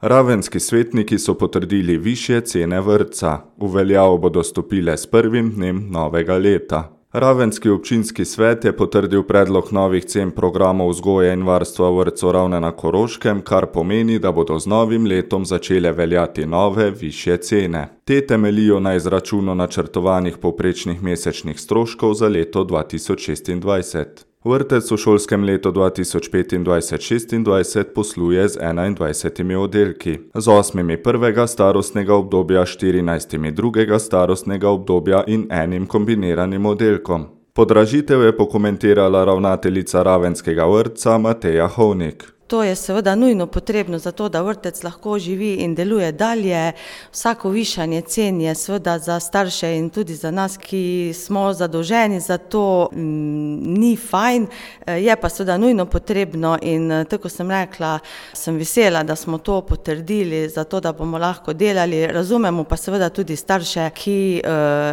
Ravenski svetniki so potrdili višje cene vrtca. V veljavo bodo stopile s prvim dnem novega leta. Ravenski občinski svet je potrdil predlog novih cen programov vzgoje in varstva v vrtcu Ravne na Koroškem, kar pomeni, da bodo z novim letom začele veljati nove, višje cene. Te temeljijo na izračunu načrtovanih povprečnih mesečnih stroškov za leto 2026. Vrtec v šolskem letu 2025-26 posluje z 21 oddelki, z 8 prvega starostnega obdobja, 14 drugega starostnega obdobja in enim kombiniranim oddelkom. Podražitev je pokomentirala ravnateljica ravenskega vrtca Mateja Hovnik. To je seveda nujno potrebno za to, da vrtec lahko živi in deluje dalje. Vsako višanje cen je seveda za starše in tudi za nas, ki smo zadolženi za to, ni fajn, je pa seveda nujno potrebno in tako sem rekla, sem vesela, da smo to potrdili, zato da bomo lahko delali. Razumemo pa seveda tudi starše, ki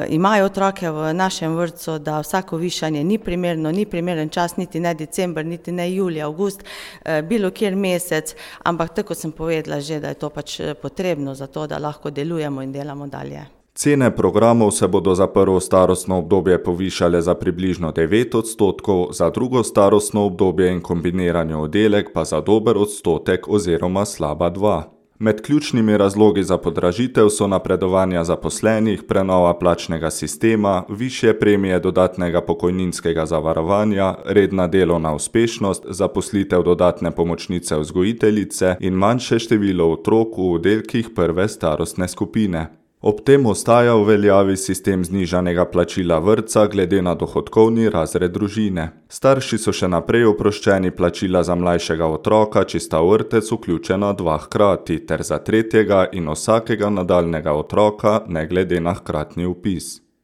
imajo otroke v našem vrtcu, da vsako višanje ni primerno, ni primeren čas, niti ne december, niti ne julij, avgust, bilo kjer mesec, ampak tako sem povedala že, da je to pač potrebno za to, da lahko delujemo in delamo dalje. Cene programov se bodo za prvo starostno obdobje povišale za približno 9%, za drugo starostno obdobje in kombinirani oddelek pa za dober odstotek oziroma slaba 2%. Med ključnimi razlogi za podražitev so napredovanja zaposlenih, prenova plačnega sistema, višje premije dodatnega pokojninskega zavarovanja, redna delovna uspešnost, zaposlitev dodatne pomočnice vzgojiteljice in manjše število otrok v oddelkih prve starostne skupine. Ob tem ostaja v veljavi sistem znižanega plačila vrtca glede na dohodkovni razred družine. Starši so še naprej oproščeni plačila za mlajšega otroka, če sta v vrtec vključena 2 hkrati, ter za tretjega in vsakega nadaljnjega otroka, ne glede na hkratni vpis.